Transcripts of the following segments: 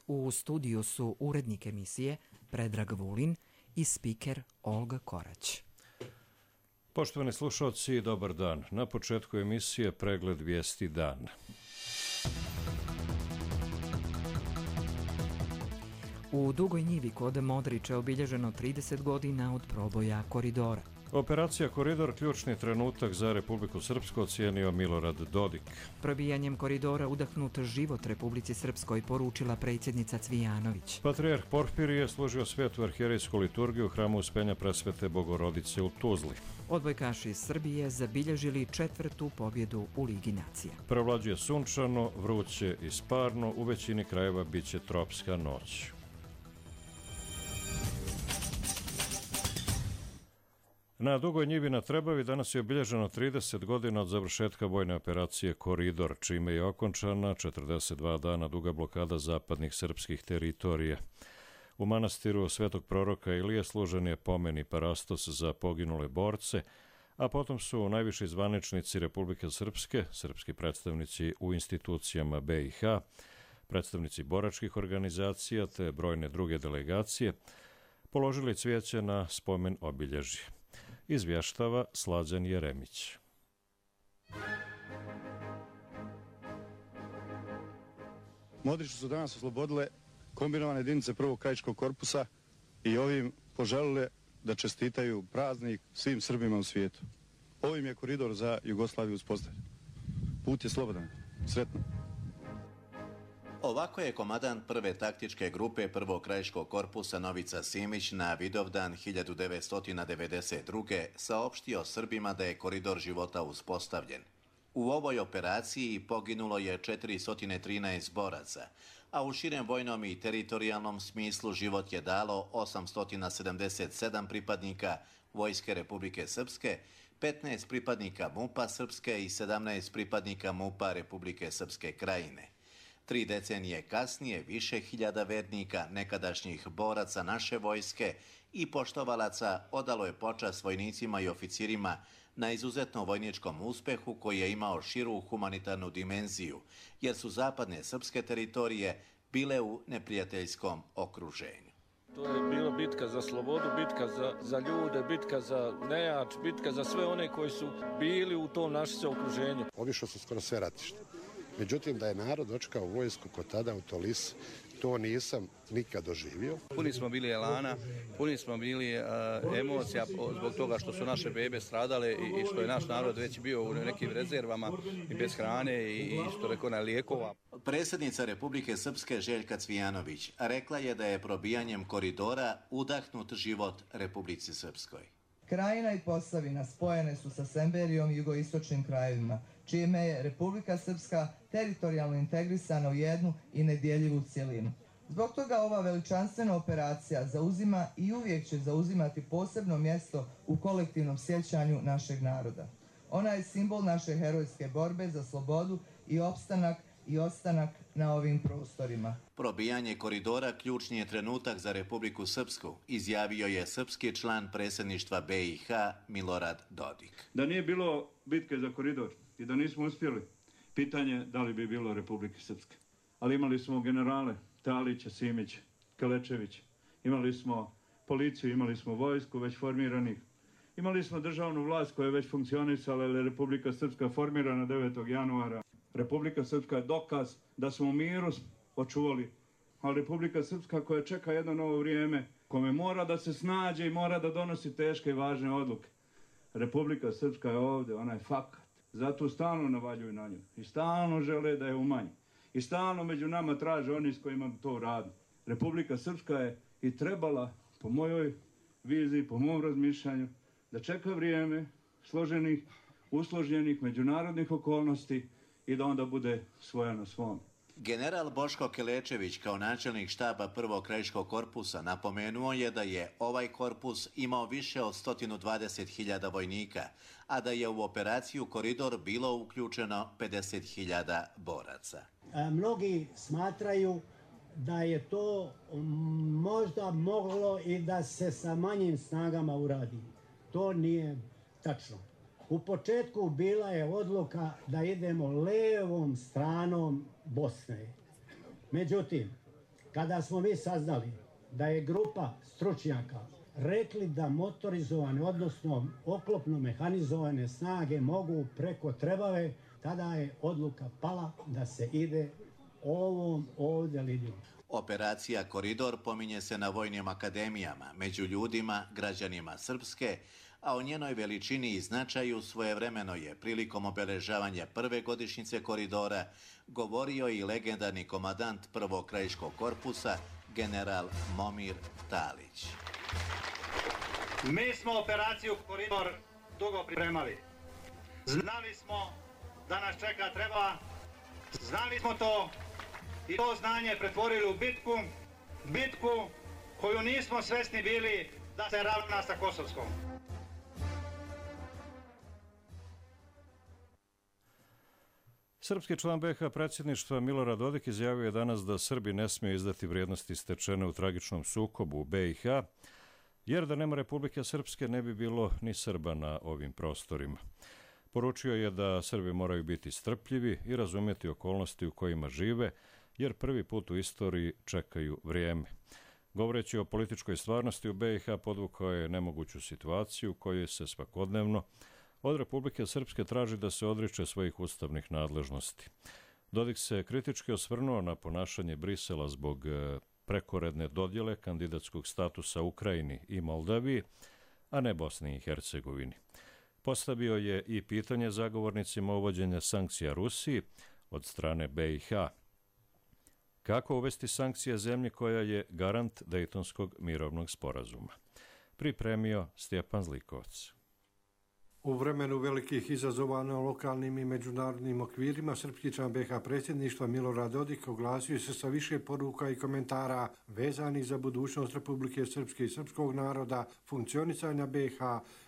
U studiju su urednik emisije Predrag Vulin i spiker Olga Korać. Poštovani slušalci, dobar dan. Na početku emisije pregled vijesti dana. U Dugoj Njivi kod Modrića obilježeno 30 godina od proboja koridora. Operacija Koridor ključni trenutak za Republiku Srpsku, ocijenio Milorad Dodik. Probijanjem koridora udahnut život Republici Srpskoj, poručila predsjednica Cvijanović. Patrijarh Porfirije služio svetu arhijerejsku liturgiju u hramu Uspenja Presvete Bogorodice u Tuzli. Odbojkaši iz Srbije zabilježili 4. pobjedu u Ligi nacija. Prevlađuje sunčano, vruće i sparno, u većini krajeva biće tropska noć. Na Dugoj Njivi na Trebavi danas je obilježeno 30 godina od završetka vojne operacije Koridor, čime je okončana 42 dana duga blokada zapadnih srpskih teritorija. U manastiru Svetog proroka Ilije služen je pomen i parastos za poginule borce, a potom su najviši zvaničnici Republike Srpske, srpski predstavnici u institucijama BiH, predstavnici boračkih organizacija te brojne druge delegacije, položili cvijeće na spomen obilježje. Izvještava Slađan Jeremić. Modriću su danas oslobodile kombinovane jedinice prvog krajiškog korpusa i ovim poželile da čestitaju praznik svim Srbima u svijetu. Ovim je koridor za Jugoslaviju uspostavljen. Put je slobodan. Sretno. Ovako je komandant prve taktičke grupe prvog krajiškog korpusa Novica Simić na Vidovdan 1992. saopštio Srbima da je koridor života uspostavljen. U ovoj operaciji poginulo je 413 boraca, a u širem vojnom i teritorijalnom smislu život je dalo 877 pripadnika Vojske Republike Srpske, 15 pripadnika MUP-a Srpske i 17 pripadnika MUP-a Republike Srpske Krajine. 3 decenije kasnije više hiljada vernika, nekadašnjih boraca naše vojske i poštovalaca odalo je počast vojnicima i oficirima na izuzetnom vojničkom uspehu koji je imao širu humanitarnu dimenziju, jer su zapadne srpske teritorije bile u neprijateljskom okruženju. To je bila bitka za slobodu, bitka za ljude, bitka za nejač, bitka za sve one koji su bili u tom našem okruženju. Obišao su skoro sve ratište. Međutim, da je narod dočekao vojsku kod tada u Tolis, to nisam nikad doživio. Puni smo bili elana, puni smo bili emocija zbog toga što su naše bebe stradale i što je naš narod već bio u nekim rezervama i bez hrane i što rekao na lijekova. Predsjednica Republike Srpske Željka Cvijanović rekla je da je probijanjem koridora udahnut život Republici Srpskoj. Krajina i Posavina spojene su sa Semberijom i jugoistočnim krajevima, čime je Republika Srpska teritorijalno integrisana u jednu i nedjeljivu cjelinu. Zbog toga ova veličanstvena operacija zauzima i uvijek će zauzimati posebno mjesto u kolektivnom sjećanju našeg naroda. Ona je simbol naše herojske borbe za slobodu i opstanak i ostanak na ovim prostorima. Probijanje koridora ključni je trenutak za Republiku Srpsku, izjavio je srpski član predsjedništva BiH Milorad Dodik. Da nije bilo bitke za koridor i da nismo uspjeli, pitanje da li bi bilo Republike Srpske. Ali imali smo generale Talića, Simića, Kelečevića, imali smo policiju, imali smo vojsku već formiranih, imali smo državnu vlast koja je već funkcionisala, jer je Republika Srpska formirana 9. januara. Republika Srpska je dokaz da smo u miru očuvali, a Republika Srpska koja čeka jedno novo vrijeme, kome mora da se snađe i mora da donosi teške i važne odluke. Republika Srpska je ovdje, ona je fakat. Zato stalno navaljuju na nju i stalno žele da je umanji. I stalno među nama traže oni s kojima to radi. Republika Srpska je i trebala, po mojoj viziji, po mom razmišljanju, da čeka vrijeme složenih, usloženih međunarodnih okolnosti i da onda bude svoja na svom. General Boško Kelečević kao načelnik štaba prvog krajiškog korpusa napomenuo je da je ovaj korpus imao više od 120.000 vojnika, a da je u operaciju Koridor bilo uključeno 50.000 boraca. Mnogi smatraju da je to možda moglo i da se sa manjim snagama uradi. To nije tačno. U početku bila je odluka da idemo levom stranom Bosne. Međutim, kada smo mi saznali da je grupa stručnjaka rekli da motorizovane, odnosno oklopno mehanizovane snage mogu preko Trebave, tada je odluka pala da se ide ovom ovdje linijom. Operacija Koridor pominje se na vojnim akademijama, među ljudima, građanima Srpske, a o njenoj veličini i značaju svojevremeno je prilikom obeležavanja prve godišnjice Koridora govorio i legendarni komandant prvog krajiškog korpusa, general Momir Talić. Mi smo operaciju Koridor dugo pripremali. Znali smo da nas čeka Trebava, znali smo to i to znanje pretvorili u bitku koju nismo svesni bili da se ravna sa Kosovskom. Srpski član BiH predsjedništva Milorad Dodik izjavio je danas da Srbi ne smiju izdati vrijednosti stečene u tragičnom sukobu u BiH, jer da nema Republike Srpske ne bi bilo ni Srba na ovim prostorima. Poručio je da Srbi moraju biti strpljivi i razumjeti okolnosti u kojima žive, jer prvi put u istoriji čekaju vrijeme. Govoreći o političkoj stvarnosti u BiH podvukao je nemoguću situaciju u kojoj se svakodnevno od Republike Srpske traži da se odriče svojih ustavnih nadležnosti. Dodik se kritički osvrnuo na ponašanje Brisela zbog prekoredne dodjele kandidatskog statusa Ukrajini i Moldaviji, a ne Bosni i Hercegovini. Postavio je i pitanje zagovornicima uvođenja sankcija Rusiji od strane BiH. Kako uvesti sankcije zemlji koja je garant Dejtonskog mirovnog sporazuma? Pripremio Stjepan Zlikovac. U vremenu velikih izazova na lokalnim i međunarodnim okvirima, srpski član BiH predsjedništva Milorad Dodik oglasio se sa više poruka i komentara vezanih za budućnost Republike Srpske i srpskog naroda, funkcionisanja BiH,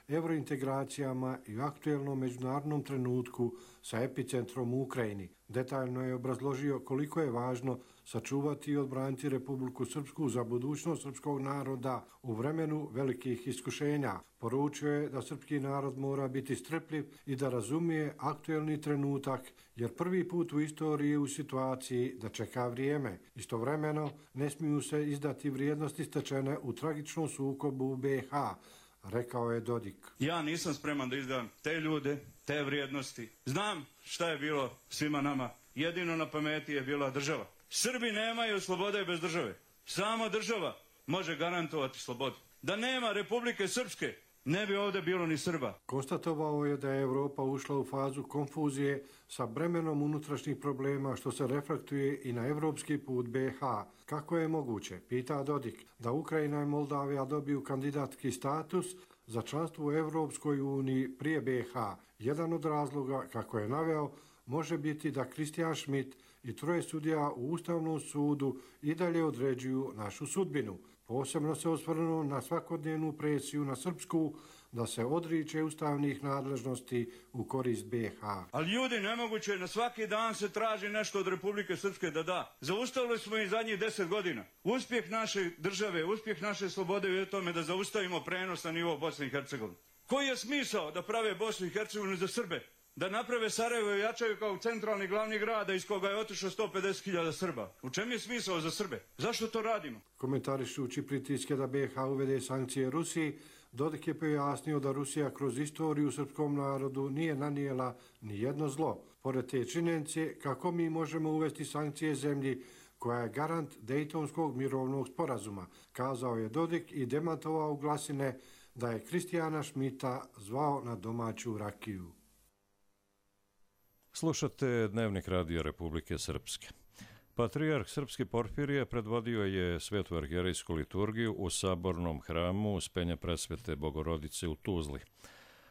evrointegracijama i aktuelnom međunarodnom trenutku sa epicentrom u Ukrajini. Detaljno je obrazložio koliko je važno sačuvati i odbraniti Republiku Srpsku za budućnost srpskog naroda u vremenu velikih iskušenja. Poručio je da srpski narod mora biti strpljiv i da razumije aktuelni trenutak, jer prvi put u istoriji je u situaciji da čeka vrijeme. Istovremeno, ne smiju se izdati vrijednosti stečene u tragičnom sukobu u BiH, rekao je Dodik. Ja nisam spreman da izdam te ljude, te vrijednosti. Znam šta je bilo svima nama. Jedino na pameti je bila država. Srbi nemaju slobode bez države. Sama država može garantovati slobodu. Da nema Republike Srpske, ne bi ovdje bilo ni Srba. Konstatovao je da je Evropa ušla u fazu konfuzije sa bremenom unutrašnjih problema, što se reflektuje i na evropski put BiH. Kako je moguće, pita Dodik, da Ukrajina i Moldavija dobiju kandidatski status za članstvo u Evropskoj uniji prije BiH? Jedan od razloga, kako je naveo, može biti da Kristijan Schmidt i 3 sudija u Ustavnom sudu i dalje određuju našu sudbinu. Posebno se osvrnuo na svakodnevnu presiju na Srpsku da se odriče ustavnih nadležnosti u korist BiH. Ali ljudi, nemoguće, na svaki dan se traži nešto od Republike Srpske da da. Zaustavili smo i zadnjih 10 godina. Uspjeh naše države, uspjeh naše slobode je u tome da zaustavimo prenos na nivo Bosne i Hercegovine. Koji je smisao da prave Bosnu i Hercegovinu za Srbe? Da naprave Sarajevo i jačaju kao centralni glavni grad iz koga je otišlo 150.000 Srba. U čem je smisao za Srbe? Zašto to radimo? Komentarišući pritiske da BiH uvede sankcije Rusiji, Dodik je pojasnio da Rusija kroz istoriju srpskom narodu nije nanijela ni jedno zlo. Pored te činjenice, kako mi možemo uvesti sankcije zemlji koja je garant Dejtonskog mirovnog sporazuma, kazao je Dodik i demantovao glasine da je Kristijana Schmidta zvao na domaću rakiju. Slušate Dnevnik radija Republike Srpske. Patrijarh Srpski Porfirije predvodio je svetu arhijerejsku liturgiju u sabornom hramu Uspenja Presvete Bogorodice u Tuzli.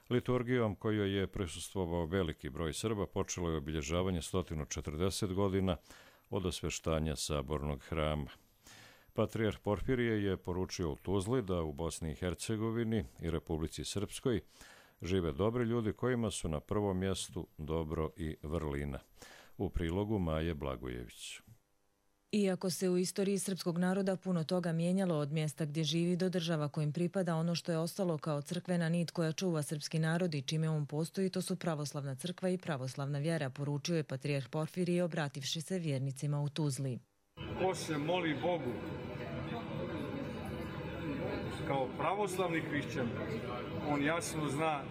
Liturgijom kojoj je prisustvovao veliki broj Srba počelo je obilježavanje 140 godina od osveštanja sabornog hrama. Patrijarh Porfirije je poručio u Tuzli da u Bosni i Hercegovini i Republici Srpskoj žive dobri ljudi kojima su na prvom mjestu dobro i vrlina. U prilogu Maje Blagojević. Iako se u istoriji srpskog naroda puno toga mijenjalo od mjesta gdje živi do država kojim pripada, ono što je ostalo kao crkvena nit koja čuva srpski narod i čime on postoji, to su pravoslavna crkva i pravoslavna vjera, poručio je patrijarh Porfirije obrativši se vjernicima u Tuzli. Ko se moli Bogu kao pravoslavni hrišćan, on jasno zna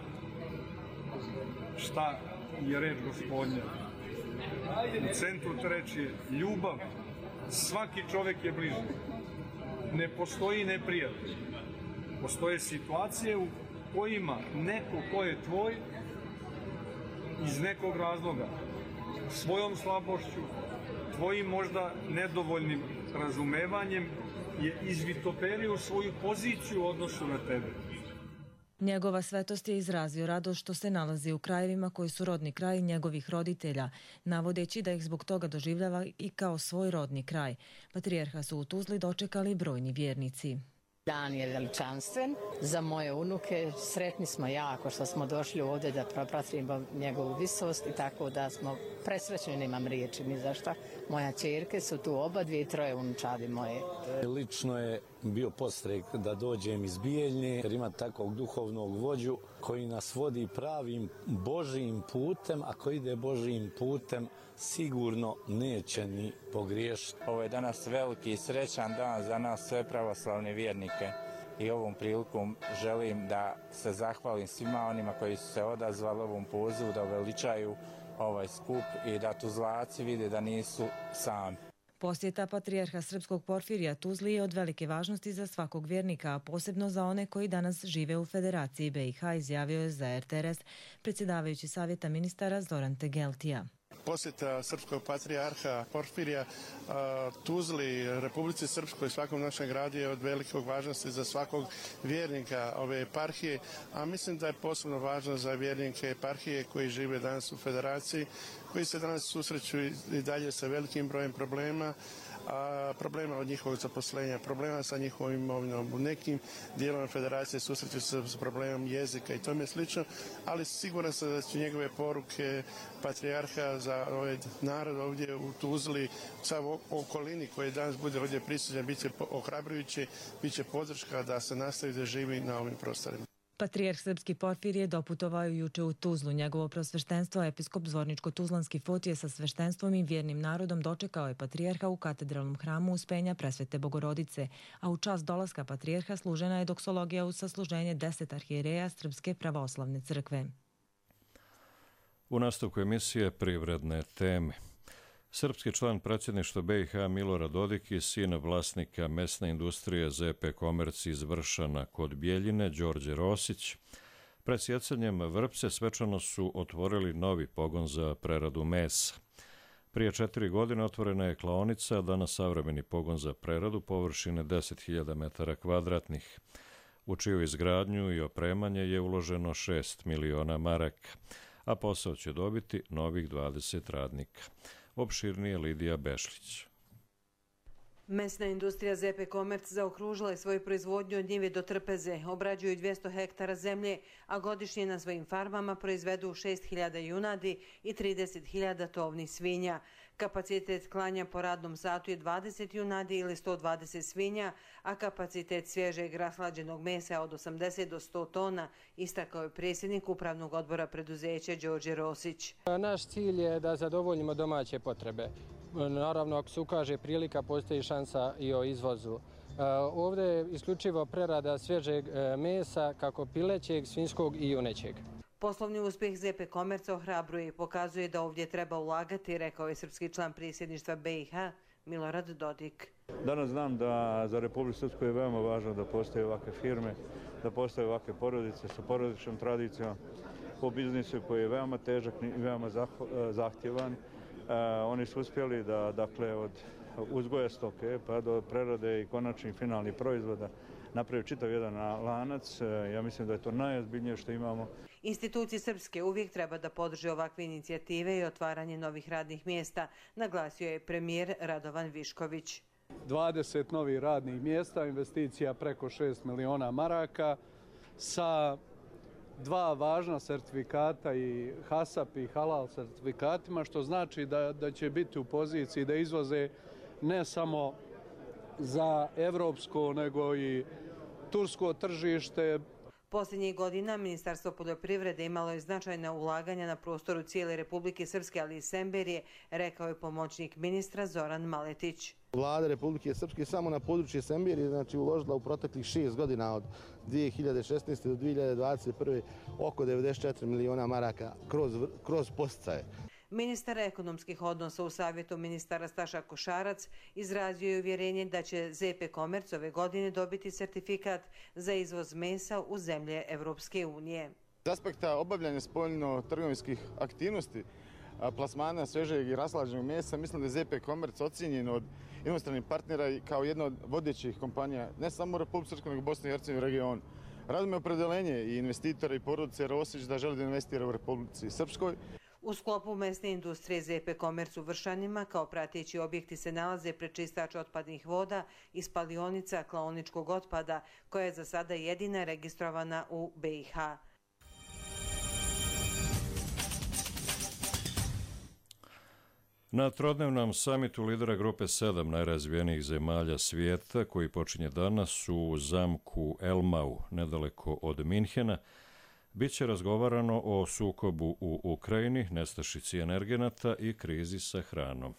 šta je reč Gospodnja. U centru te reči je ljubav. Svaki čovjek je bližnji. Ne postoji neprijatelj. Postoje situacije u kojima neko ko je tvoj iz nekog razloga, svojom slabošću, tvojim možda nedovoljnim razumevanjem je izvitoperio svoju poziciju u odnosu na tebe. Njegova svetost je izrazio radost što se nalazi u krajevima koji su rodni kraj njegovih roditelja, navodeći da ih zbog toga doživljava i kao svoj rodni kraj. Patrijarha su u Tuzli dočekali brojni vjernici. Dan je veličanstven za moje unuke. Sretni smo jako što smo došli ovdje da propratimo njegovu visost i tako da smo presrećni, nemam riječi ni za šta. Moja ćerke su tu oba, 2 i 3 unučadi moje. Lično je bio podstrek da dođem iz Bijeljne jer ima takvog duhovnog vođu koji nas vodi pravim Božijim putem, a ko ide Božijim putem sigurno neće ni pogriješiti. Ovo je danas veliki i srećan dan za nas sve pravoslavne vjernike i ovom prilikom želim da se zahvalim svima onima koji su se odazvali ovom pozivu da uveličaju ovaj skup i da Tuzlaci vide da nisu sami. Posjeta patrijarha srpskog Porfirija Tuzli je od velike važnosti za svakog vjernika, a posebno za one koji danas žive u Federaciji BiH, izjavio je za RTRS predsjedavajući Savjeta ministara Zoran Tegeltija. Posjeta srpskog patrijarha Porfirija Tuzli, Republici Srpskoj, svakom našem gradu je od velikog važnosti za svakog vjernika ove eparhije, a mislim da je posebno važno za vjernike eparhije koji žive danas u Federaciji, koji se danas susreću i dalje sa velikim brojem problema od njihovog zaposlenja, problema sa njihovom imovinom. U nekim dijelovima Federacije susreću se s problemom jezika i tome slično, ali siguran sam da će njegove poruke patrijarha za ovaj narod ovdje u Tuzli, sa okolini koji danas bude ovdje prisutan, bit će ohrabrujući, bit će podrška da se nastavi da živi na ovim prostorima. Patrijarh srpski Porfirije doputovao juče u Tuzlu. Njegovo prosveštenstvo, episkop Zvorničko-Tuzlanski Fotije sa sveštenstvom i vjernim narodom dočekao je patrijarha u katedralnom hramu Uspenja Presvete Bogorodice, a u čast dolaska patrijarha služena je doksologija uz sasluženje 10 arhijereja Srpske pravoslavne crkve. U nastavku emisije privredne teme. Srpski član predsjedništva BiH Milorad Dodik i sin vlasnika mesne industrije ZP Komerc iz Vršana kod Bjeljine, Đorđe Rosić, pred sjecanjem vrpce svečano su otvorili novi pogon za preradu mesa. Prije 4 godine otvorena je klaonica, danas savremeni pogon za preradu površine 10.000 metara kvadratnih, u čiju izgradnju i opremanje je uloženo 6 miliona maraka, a posao će dobiti novih 20 radnika. Opširnije Lidija Bešlić. Mesna industrija ZP Komerc zaokružila je svoju proizvodnju od njive do trpeze, obrađuju 200 hektara zemlje, a godišnje na svojim farmama proizvedu 6.000 junadi i 30.000 tovnih svinja. Kapacitet klanja po radnom satu je 20 junadi ili 120 svinja, a kapacitet svježeg rashlađenog mesa od 80 do 100 tona, istakao je predsjednik upravnog odbora preduzeća Đorđe Rosić. Naš cilj je da zadovoljimo domaće potrebe. Naravno, ako se ukaže prilika, postoji šansa i o izvozu. Ovdje je isključivo prerada svježeg mesa, kako pilećeg, svinjskog i junećeg. Poslovni uspjeh ZP Komerca ohrabruje i pokazuje da ovdje treba ulagati, rekao je srpski član predsjedništva BiH Milorad Dodik. Danas znam da za Republiku Srpsku je veoma važno da postoje ovakve firme, da postoje ovakve porodice sa porodičnom tradicijom po biznisu koji je veoma težak i veoma zahtjevan. Oni su uspjeli da, dakle, od uzgoja stoke pa do prerade i konačnih finalnih proizvoda napravio čitav jedan lanac. Ja mislim da je to najozbiljnije što imamo. Institucije srpske uvijek treba da podrže ovakve inicijative i otvaranje novih radnih mjesta, naglasio je premijer Radovan Višković. 20 novih radnih mjesta, investicija preko 6 miliona maraka sa 2 važna sertifikata i HASAP i halal sertifikatima, što znači da će biti u poziciji da izvoze ne samo za evropsko, nego i tursko tržište. Posljednjih godina Ministarstvo poljoprivrede imalo je značajna ulaganja na prostoru cijele Republike Srpske, ali i Semberije, rekao je pomoćnik ministra Zoran Maletić. Vlada Republike Srpske samo na područje Semberije znači uložila u proteklih 6 godina od 2016. do 2021. oko 94 miliona maraka kroz podsticaje. Ministar ekonomskih odnosa u Savjetu ministara Staša Košarac izrazio je uvjerenje da će ZP Komerc ove godine dobiti sertifikat za izvoz mesa u zemlje Evropske unije. S aspekta obavljanja spoljno-trgovinskih aktivnosti, plasmana svežeg i raslađenog mesa, mislim da je ZP Komerc ocijenjen od inostranih partnera kao jedna od vodećih kompanija, ne samo u Republici Srpskoj, nego u Bosni i Hercegovini regionu. Radimo je opredelenje i investitora i porodice Rosić da želi da investira u Republici Srpskoj. U sklopu mesne industrije ZP Komerc u Vršanima kao prateći objekti se nalaze prečistač otpadnih voda i spalionica klaoničkog otpada, koja je za sada jedina registrovana u BiH. Na trodnevnom samitu lidera grupe 7 najrazvijenijih zemalja svijeta, koji počinje danas u zamku Elmau, nedaleko od Minhena, bit će razgovarano o sukobu u Ukrajini, nestašici energenata i krizi sa hranom.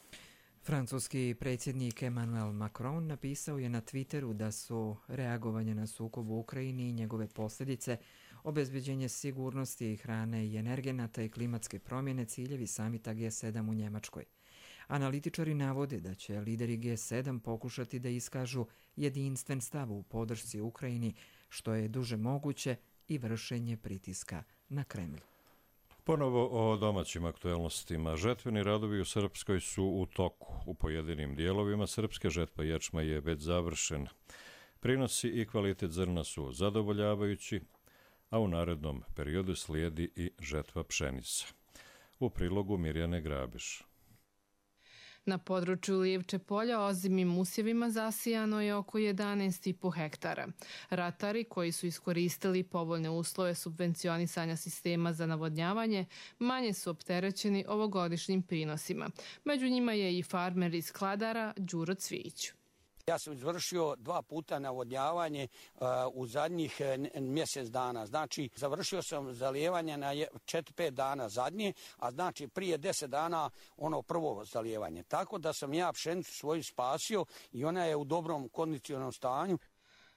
Francuski predsjednik Emmanuel Macron napisao je na Twitteru da su reagovanje na sukob u Ukrajini i njegove posljedice, obezbeđenje sigurnosti hrane i energenata i klimatske promjene ciljevi samita G7 u Njemačkoj. Analitičari navode da će lideri G7 pokušati da iskažu jedinstven stav u podršci Ukrajini, što je duže moguće, i vršenje pritiska na Kremlj. Ponovo o domaćim aktuelnostima. Žetveni radovi u Srpskoj su u toku. U pojedinim dijelovima srpske žetva ječma je već završen. Prinosi i kvalitet zrna su zadovoljavajući, a u narednom periodu slijedi i žetva pšenica. U prilogu Mirjane Grabiš. Na području Lijevče polja ozimim usjevima zasijano je oko 11,5 hektara. Ratari koji su iskoristili povoljne uslove subvencionisanja sistema za navodnjavanje manje su opterećeni ovogodišnjim prinosima. Među njima je i farmer iz Kladara Đuro Cvijić. Ja sam izvršio 2 puta navodnjavanje u zadnjih mjesec dana. Znači, završio sam zalijevanje na 4-5 dana zadnje, a znači prije 10 dana ono prvo zalijevanje. Tako da sam ja pšenicu svoju spasio i ona je u dobrom kondicionalnom stanju.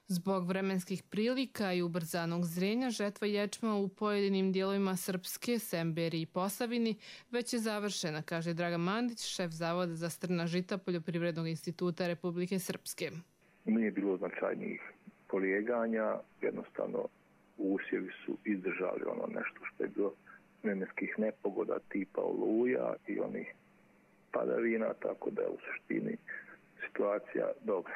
Zbog vremenskih prilika i ubrzanog zrenja, žetva ječma u pojedinim dijelovima Srpske, Semberiji i Posavini već je završena, kaže Dragan Mandić, šef Zavoda za strna žita Poljoprivrednog instituta Republike Srpske. Nije bilo značajnijih polijeganja, jednostavno usjevi su izdržali ono nešto što je bilo vremenskih nepogoda tipa oluja i onih padavina, tako da je u suštini situacija dobra.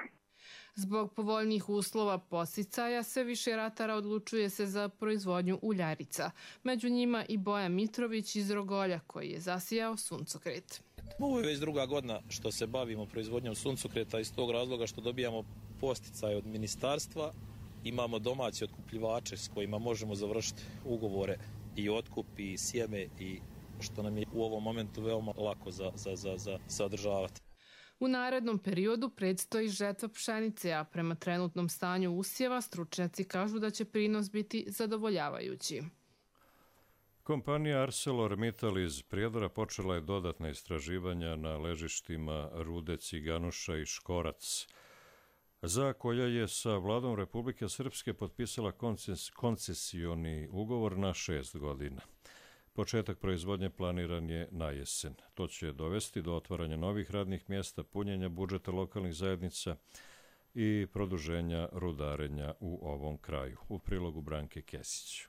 Zbog povoljnijih uslova podsticaja sve više ratara odlučuje se za proizvodnju uljarica. Među njima i Boja Mitrović iz Rogolja koji je zasijao suncokret. Ovo je već druga godina što se bavimo proizvodnjom suncokreta iz tog razloga što dobijamo podsticaje od ministarstva. Imamo domaće otkupljivače s kojima možemo završiti ugovore i otkup i sjeme i što nam je u ovom momentu veoma lako za održavati. U narednom periodu predstoji žetva pšenice, a prema trenutnom stanju usjeva stručnjaci kažu da će prinos biti zadovoljavajući. Kompanija ArcelorMittal iz Prijedora počela je dodatna istraživanja na ležištima rude Ciganuša i Škorac, za koja je sa vladom Republike Srpske potpisala koncesioni ugovor na 6 godina. Početak proizvodnje planiran je na jesen. To će dovesti do otvaranja novih radnih mjesta, punjenja budžeta lokalnih zajednica i produženja rudarenja u ovom kraju. U prilogu Branke Kesić.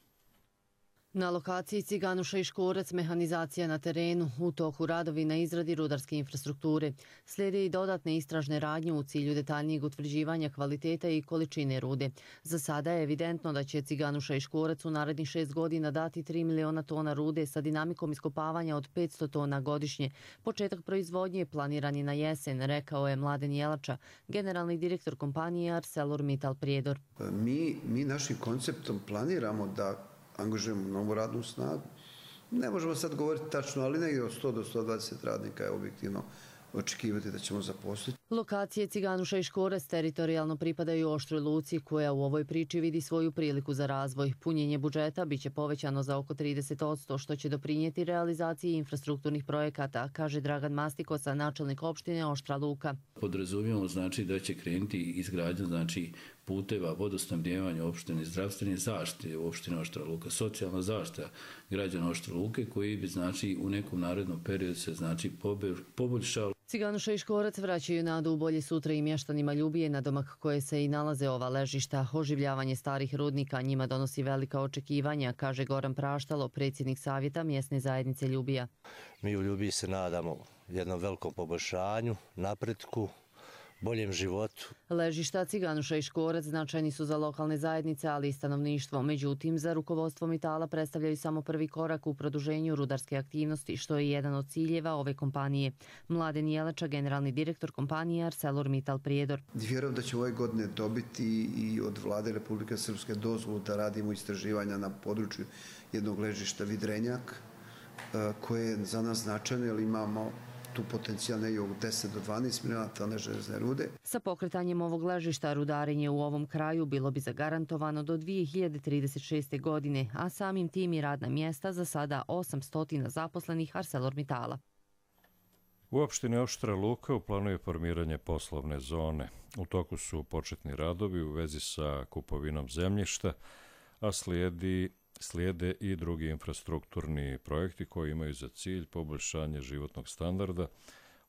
Na lokaciji Ciganuša i Škorac mehanizacija na terenu, u toku radovi na izradi rudarske infrastrukture. Slijede i dodatne istražne radnje u cilju detaljnijeg utvrđivanja kvaliteta i količine rude. Za sada je evidentno da će Ciganuša i Škorac u narednih 6 godina dati 3 miliona tona rude sa dinamikom iskopavanja od 500 tona godišnje. Početak proizvodnje planiran je na jesen, rekao je Mladen Jelača, generalni direktor kompanije ArcelorMittal Prijedor. Mi našim konceptom planiramo da angažujemo novu radnu snagu. Ne možemo sad govoriti tačno, ali negdje od 100 do 120 radnika je objektivno očekivati da ćemo zaposliti. Lokacije Ciganuša i Škorac teritorijalno pripadaju Oštroj Luci, koja u ovoj priči vidi svoju priliku za razvoj. Punjenje budžeta biće povećano za oko 30%, što će doprinijeti realizaciji infrastrukturnih projekata, kaže Dragan Mastikosa, načelnik opštine Oštra Luka. Podrazumijemo znači da će krenuti izgradnja znači puteva, vodosnabdijevanja opštine, zdravstvene zaštite u opštini Oštra Luka, socijalna zaštita građana Oštre Luke, koji bi znači u nekom narednom periodu se znači poboljšao. Ciganuša i Škorac vraćaju nadu u bolje sutra i mještanima Ljubije, na domak koje se i nalaze ova ležišta. Oživljavanje starih rudnika njima donosi velika očekivanja, kaže Goran Praštalo, predsjednik savjeta mjesne zajednice Ljubija. Mi u Ljubiji se nadamo jednom velikom poboljšanju, napretku, boljem životu. Ležišta Ciganuša i Škorac značajni su za lokalne zajednice, ali i stanovništvo. Međutim, za rukovodstvo Mitala predstavljaju samo prvi korak u produženju rudarske aktivnosti, što je jedan od ciljeva ove kompanije. Mladen Jelača, generalni direktor kompanije ArcelorMittal Prijedor. Vjerujem da će ove godine dobiti i od vlade Republike Srpske dozvolu da radimo istraživanja na području jednog ležišta Vidrenjak, koje je za nas značajno jer imamo tu potencijal negdje od 10 do 12 miliona tone železne rude. Sa pokretanjem ovog ležišta rudarenje u ovom kraju bilo bi zagarantovano do 2036. godine, a samim tim i radna mjesta za sada 800 zaposlenih ArcelorMittala. U opštini Oštra Luka u planu je formiranje poslovne zone. U toku su početni radovi u vezi sa kupovinom zemljišta, a slijede i drugi infrastrukturni projekti koji imaju za cilj poboljšanje životnog standarda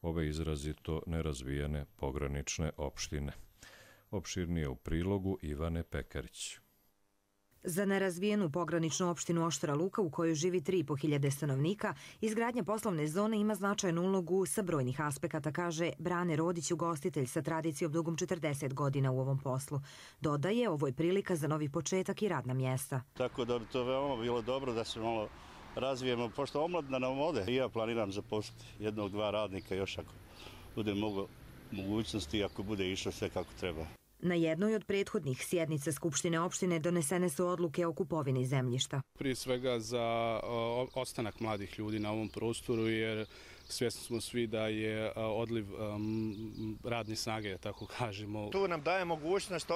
ove izrazito nerazvijene pogranične opštine. Opširnije u prilogu Ivane Pekarić. Za nerazvijenu pograničnu opštinu Oštra Luka, u kojoj živi 3.500 stanovnika, izgradnja poslovne zone ima značajnu ulogu sa brojnih aspekata, kaže Brane Rodić, ugostitelj sa tradicijom dugom 40 godina u ovom poslu. Dodaje, ovo je prilika za novi početak i radna mjesta. Tako da bi to veoma bilo dobro da se malo razvijemo, pošto omladina nam ode. I ja planiram zaposliti 1-2 radnika još ako bude mogućnosti, ako bude išlo sve kako treba. Na jednoj od prethodnih sjednica Skupštine opštine donesene su odluke o kupovini zemljišta. Prije svega za ostanak mladih ljudi na ovom prostoru, jer svjesni smo svi da je odliv radne snage, tako kažemo. Tu nam daje mogućnost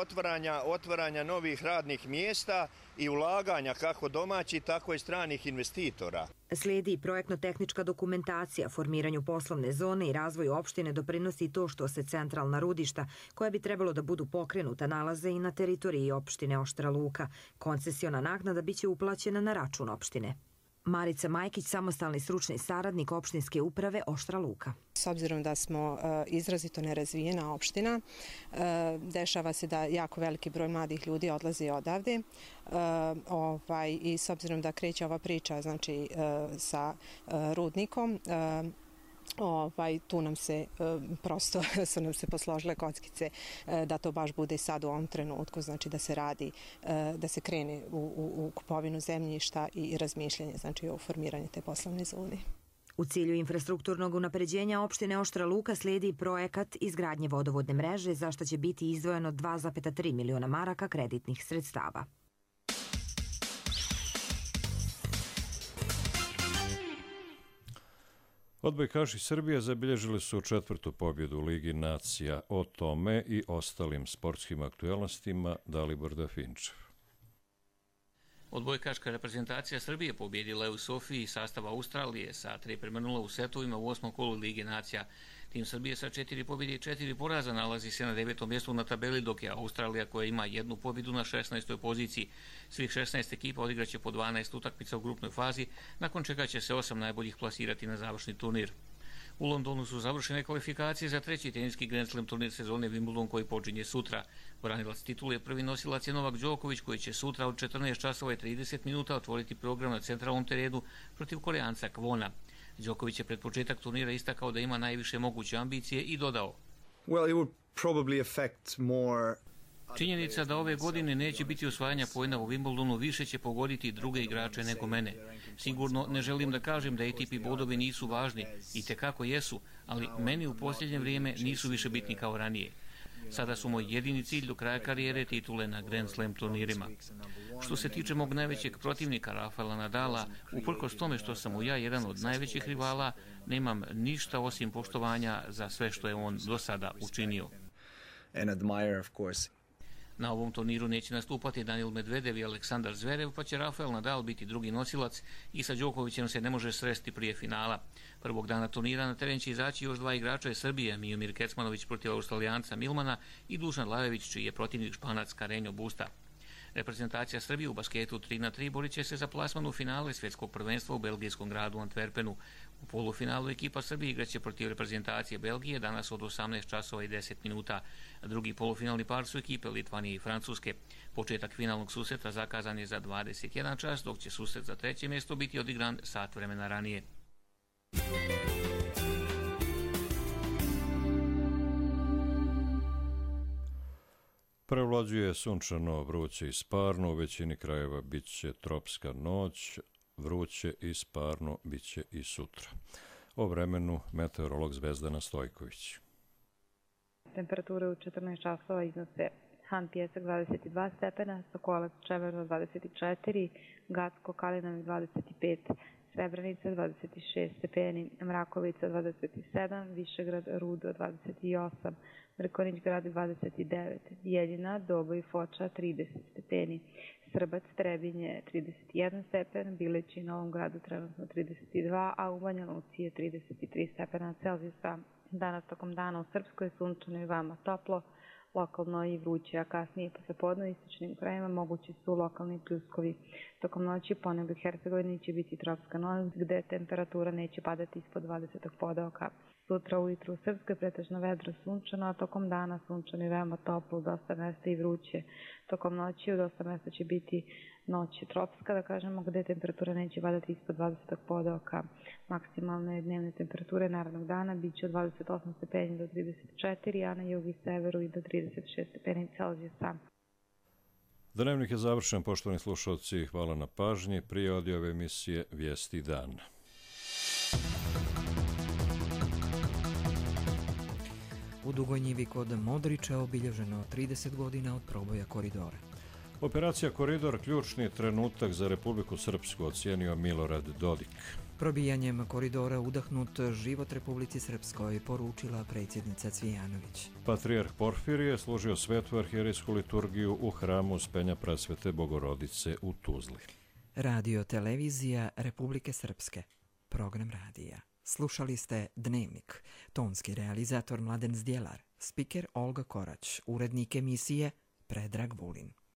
otvaranja novih radnih mjesta i ulaganja kako domaćih, tako i stranih investitora. Slijedi projektno-tehnička dokumentacija, formiranju poslovne zone i razvoju opštine doprinosi to što se centralna rudišta, koja bi trebalo da budu pokrenuta, nalaze i na teritoriji opštine Oštra Luka. Koncesiona naknada biće uplaćena na račun opštine. Marica Majkić, samostalni stručni saradnik opštinske uprave Oštra Luka. S obzirom da smo izrazito nerazvijena opština, dešava se da jako veliki broj mladih ljudi odlazi odavde i s obzirom da kreće ova priča znači, sa rudnikom, tu nam se prosto su nam se posložile kockice da to baš bude sad u ovom trenutku, znači da se radi, da se krene u kupovinu zemljišta i razmišljanje znači o formiranju te poslovne zone. U cilju infrastrukturnog unapređenja opštine Oštra Luka slijedi projekat izgradnje vodovodne mreže, za što će biti izdvojeno 2,3 miliona maraka kreditnih sredstava. Odbojkaši Srbije zabilježili su 4. pobjedu u Ligi nacija. O tome i ostalim sportskim aktualnostima Dalibor Dafinčev. Odbojkaška reprezentacija Srbije pobjedila je u Sofiji sastav Australije sa 3:0 u setovima u 8. kolu Lige nacija. Tim Srbije sa 4 pobjede i 4 poraza nalazi se na 9. mjestu na tabeli, dok je Australija, koja ima 1 pobjedu, na 16. poziciji. Svih 16 ekipa odigraće po 12 utakmica u grupnoj fazi, nakon čega će se 8 najboljih plasirati na završni turnir. U Londonu su završene kvalifikacije za 3. teniski Grand Slam turnir sezone Wimbledon, koji počinje sutra. Branilac titule, prvi nosilac je Novak Đoković, koji će sutra od 14 časova i 30 minuta otvoriti program na centralnom terenu protiv Koreanca Kwona. Đoković je pred početak turnira istakao da ima najviše moguće ambicije i dodao: Činjenica da ove godine neće biti osvajanja poena u Wimbledonu više će pogoditi druge igrače nego mene. Sigurno ne želim da kažem da ATP bodovi nisu važni, i tekako jesu, ali meni u posljednje vrijeme nisu više bitni kao ranije. Sada su moj jedini cilj do kraja karijere titule na Grand Slam turnirima. Što se tiče mog najvećeg protivnika Rafaela Nadala, uprkos tome što sam mu ja jedan od najvećih rivala, nemam ništa osim poštovanja za sve što je on do sada učinio. Na ovom turniru neće nastupati Daniil Medvedev i Aleksandar Zverev, pa će Rafael Nadal biti drugi nosilac i sa Đokovićem se ne može sresti prije finala. Prvog dana turnira na teren će izaći još dva igrača iz Srbije, Miomir Kecmanović protiv Australijanca Milmana i Dušan Lajović, čiji je protivnik Španac Carreño Busta. Reprezentacija Srbije u basketu 3x3 borit će se za plasman u finale svjetskog prvenstva u belgijskom gradu Antwerpenu. U polufinalu ekipa Srbije igraće protiv reprezentacije Belgije danas od 18 časova i 10 minuta. Drugi polufinalni par su ekipe Litvanije i Francuske. Početak finalnog susreta zakazan je za 21 čas, dok će susret za treće mjesto biti odigran sat vremena ranije. Prevlađuje sunčano, vruće i sparno, u većini krajeva bit će tropska noć, vruće i sparno bit će i sutra. O vremenu meteorolog Zvezdana Stojković. Temperature u 14 časova iznose Han Pjesak 22 stepena, Sokolac Čemerno 24, Gacko Kalinović 25, Srebrenica 26 stepeni, Mrakovica 27, Višegrad Rudo 28, Mrkonić grad 29, Bijeljina, Doboj i Foča 30 stepeni, Srbac, Trebinje 31 stepen, Bileći i Novom gradu trenutno 32, a u Banja Luci je 33 stepena Celzijusa. Danas tokom dana u Srpskoj sunčano i veoma toplo, lokalno i vruće, a kasnije poslepodne u istočnim krajevima mogući su lokalni pljuskovi. Tokom noći po nebu Hercegovini će biti tropska noć, gde temperatura neće padati ispod 20 podoka. Sutra ujutru u Srpskoj pretežno vedro sunčano, a tokom dana sunčano i veoma toplo, u dosta mesta i vruće. Tokom noći u dosta mesta će biti noć tropska, da kažemo, gde temperatura neće padati ispod 20 podoka. Maksimalne dnevne temperature narednog dana bit će od 28 stepeni do 34, a na jugu i severu i do 36 stepeni Celzijusa. Dnevnik je završen, poštovani slušalci, hvala na pažnji. Prije ove emisije Vijesti dana. U Dugoj Njivi kod Modrića obilježeno 30 godina od proboja koridora. Operacija Koridor ključni trenutak za Republiku Srpsku, ocijenio Milorad Dodik. Probijanjem koridora udahnut život Republici Srpskoj, poručila predsjednica Cvijanović. Patrijarh Porfirije služio svetu arhijerijsku liturgiju u hramu Uspenja Presvete Bogorodice u Tuzli. Radio televizija Republike Srpske. Program radija. Slušali ste Dnevnik. Tonski realizator Mladen Zdjelar. Spiker Olga Korać. Urednik emisije Predrag Vulin.